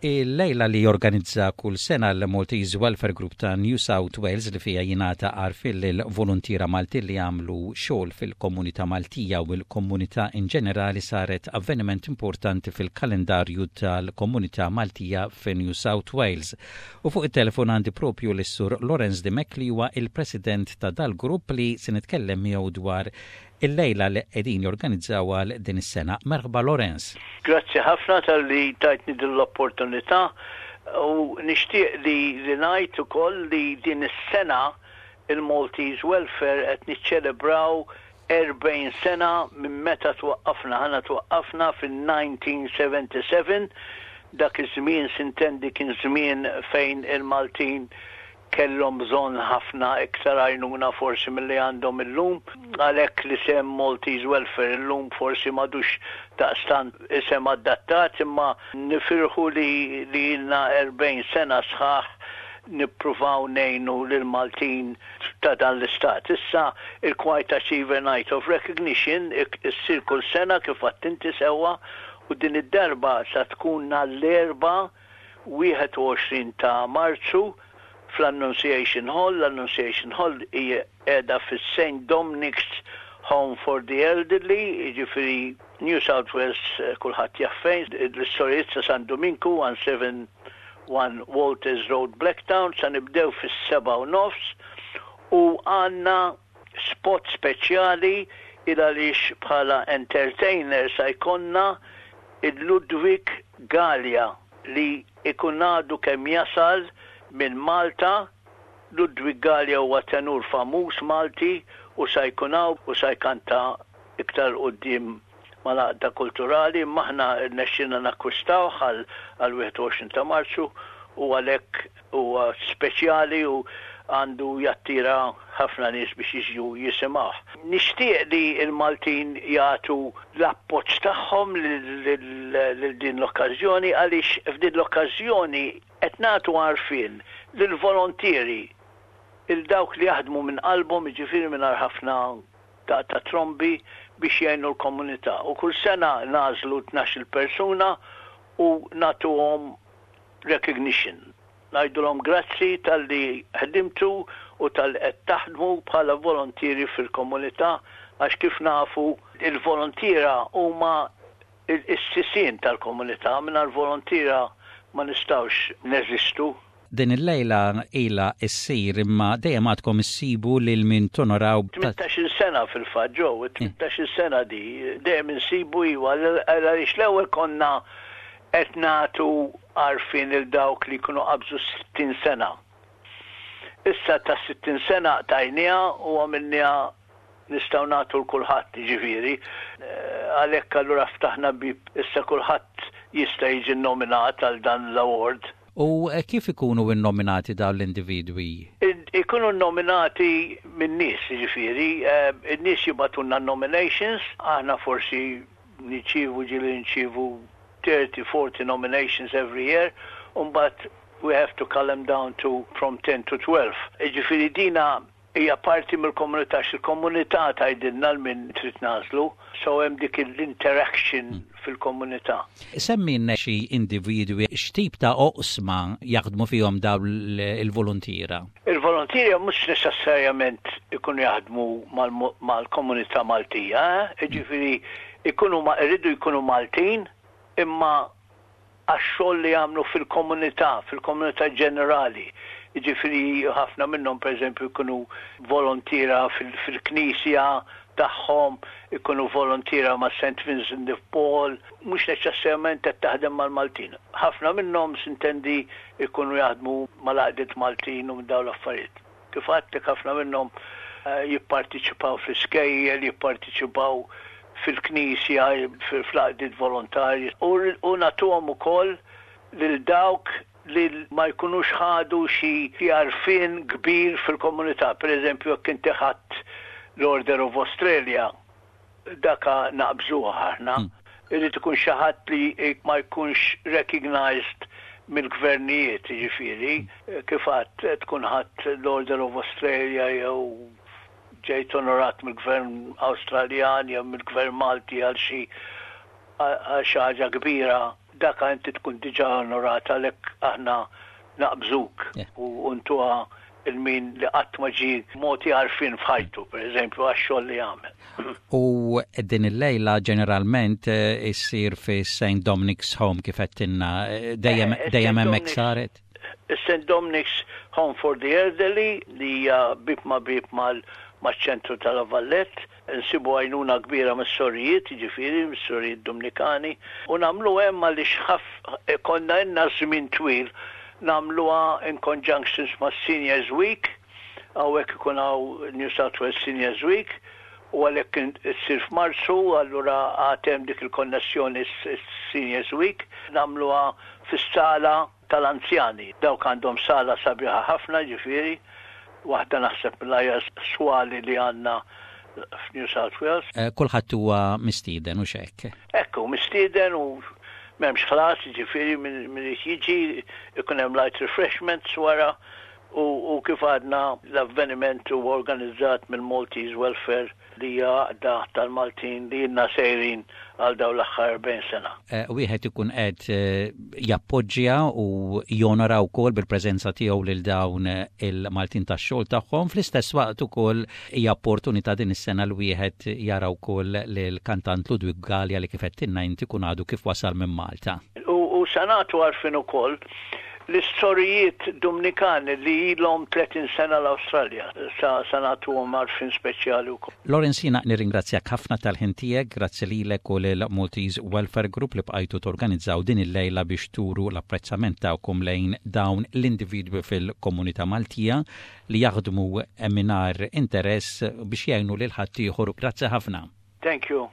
Il-lejla li jorganizza kull sena l-Maltese Welfare Group ta' New South Wales li fiha jingħata għarfien lill-voluntiera Maltin li jagħmlu xogħol fil-komunità Maltija u l-komunità in ġenerali saret avveniment importanti fil-kalendarju tal-komunità Maltija fi New South Wales. U fuq it-telefon għandi propju lis-Sur Lawrence Dimech li huwa il-President ta' dal-grupp li se nitkellem miegħu dwar il-lejla li qegħdin jorganizzaw għal din is-sena. Merħba Lawrence. Grazzi ħafna talli tajtni din l-opportunità u nixtieq li li ngħid ukoll li din is-sena il-Maltese Welfare qed niċċelebraw 40 sena minn meta twaqqafna. Aħna twaqqafna fil-1977, dak iż-żmien sintendi kien żmien fejn il-Maltin kellhom bżonn ħafna iktar għajnuna forsi milli għandhom illum. Għalhekk l-isem Maltese Welfare illum forsi m'għadux daqstant isem adattat imma nifirħu li li ilna 40 sena sħaħ nippruvaw ngħinu lill-Maltin ta' dan l-istat. Issa il-Quiet Achiever Night of Recognition issir kull sena kif għedt inti sewwa u din id-darba sa tkun nhar l-Erbgħa 21 ta' Marzu fl-Annunciation Hall. L-Annunciation Hall hija qiegħda fis-St Dominic's Home for the Elderly, jiġifieri New South Wales kulħadd jaf fejn, l-Istorijiet ta' San Duminku, 171 Walters Road, Blacktown. Sa nibdew fis-7:30 u għandna spot speċjali il għaliex bħala entertainer sa jkollna il-Ludwig Galea li ikun għadu kemm jasal minn Malta. Ludwig Galea huwa tenur famuż Malti u sa jkun hawn u sa jkanta iktar 'l quddiem mal-għaqda kulturali, imma aħna rnexxielna nakkwistawh għal 21 ta' Marzu u għalhekk huwa speċjali u għandu jattira ħafna nies biex jiġu jisimgħuh. Nixtieq li l-Maltin jagħtu l-appoġġ tagħhom lil din l-okkażjoni għaliex f'din l-okkażjoni qed nagħtu għarfien lill-volontieri, 'il dawk li jaħdmu minn qalbhom, jiġifieri mingħajr ħafna daqq ta' trombi biex jgħinu l-komunità. U kull sena nagħżlu 12-il persuna u nagħtuhom recognition. Ngħidulhom grazzi talli ħdimtu u talli qed taħdmu bħala volontieri fil-komunità għax kif nafu il-volontiera huma s-sisien tal-komunità, mingħajr volontiera ma nistgħux neżistu. Din il-lejla ilha ssir imma dejjem għadkom issibu lil min tonoraw. 18-il sena fil-fatt, Joe, 18-il sena di, dejjem insibu iva, għaliex l-ewwel konna qed nagħtu għarfien lil dawk li jkunu qabżu s-60 sena. Issa tas-60 sena qtajniha u għamilniha nistgħu nagħtu 'l kulħadd, jiġifieri. Għalhekk allura ftaħna bieb issa kulħadd jista' jiġi nnominat għal dan l-award. U kif ikunu nnominati dawn l-individwi? Ikunu nnominati min-nies, jiġifieri, in-nies jibagħtulna n-nominations, aħna forsi nirċievu ġieli nirċievu 30, 40 nominations every year, u mbagħad we have to cull them down to from 10 to 12. Jiġifieri dina hija parti mill-komunità, għax il-komunità tgħidilna 'l min trid nagħżlu, so hemm dik l-interaction fil-komunità. Semmilna xi individwi x'tip ta' oqsma jaħdmu fihom dawn il-voluntiera? Il-voluntiera mhux neċessarjament ikunu jaħdmu mal-komunità Maltija, eh? Jiġifieri ikunu iridu jkunu Maltin imma għax-xogħol li jagħmlu fil-komunità, fil-komunità ġenerali. Jiġifieri ħafna minnhom pereżempju jkunu volontiera fil-knisja tagħhom, ikunu volontiera ma' St. Vincent de Paul, mhux neċessarjament qed taħdem mal-Maltin. Ħafna minnhom sintendi jkunu jaħdmu mal-għaqdiet Maltin u minn dawn l-affarijiet. Kif għedtlek ħafna minnhom jipparteċipaw fl-iskejjel, jipparteċipaw fil-knisja, fl-għaqdiet volontarji u nagħtuhom ukoll lil dawk li ma jkunux ħadu xi għarfien kbir fil-komunità. Per eżempju, jekk inti ħadt l-Order of Australia, daka naqbżuha aħna. Irid ikun xi ħadd li ma jkunx recognized mill-gvernijiet, jiġifieri, kif għedt tkun ħadt l-Order of Australia jew ġejt onorat mill-gvern Awstraljan jew mill-gvern Malti għal xi għal xi ħaġa kbira. Daka inti tkun diġà onorat għalhekk aħna naqbżuk u ntuha 'l min li qatt ma ġie mogħti għarfien f'ħajtu, pereżempju, għax-xogħol li għamel. U din il-lejla ġeneralment issir fi St. Dominic's Home kif għedtilna, dejjem dejjem hemmhekk saret? Is-St. Dominic's Home for the Elderly li hija bieb ma' bieb maċ-ċentru ta' La Vallette. Insibu għajnuna kbira mis-sorijiet, jiġifieri mis-sorijiet Dumnikani, u nagħmluha hemm għaliex ħaf konna ilna żmien twil nagħmluha in conjunctions mas-Seniors Week, hawnhekk ikun hawn New South Wales Seniors Week, u għalhekk issir f'Marzu, allura għad hemm dik il-konnessjoni s-Seniors Week, nagħmluha fis-sala tal-anzjani. Dawk għandhom sala sabiħa ħafna, jiġifieri, waħda naħseb mill-aħjar swali li għandna f'New South Wales. Kulħadd huwa mistieden, hux hekk? Hekk hu, mistieden u m'hemmx ħlas, jiġifieri min irid jiġi, ikun hemm light refreshments wara u kif għadna l-avveniment huwa organizzat mill-Maltese Welfare li hija għaqda tal-Maltin li ilna sejrin għal dawn l-aħħar 40 sena. Wieħed ikun qed jappoġġja u jonora wkoll bil-preżenza tiegħu lil dawn il-Maltin tax-xogħol tagħhom. Fl-istess waqt ukoll hija opportunità din is-sena li wieħed jara wkoll lill-kantant Ludwig Galea li kif għedtilna inti ikun għadu kif wasal minn Malta. U se nagħtu għarfien ukoll L-istorijiet Dumnikani li ilhom 30 sena l-Awstralja sa sa nagħtuhom għarfien speċjali wkoll. Lawrence jiena nirringrazzjak ħafna tal-ħin tiegħek, grazzi lilek u lil Maltese Welfare Group li bqajtu torganizzaw din il-lejla biex turu l-apprezzament tagħkom lejn dawn l-individwi fil-komunità Maltija li jaħdmu mingħajr interess biex jgħinu lil ħaddieħor. Grazzi ħafna. Thank you.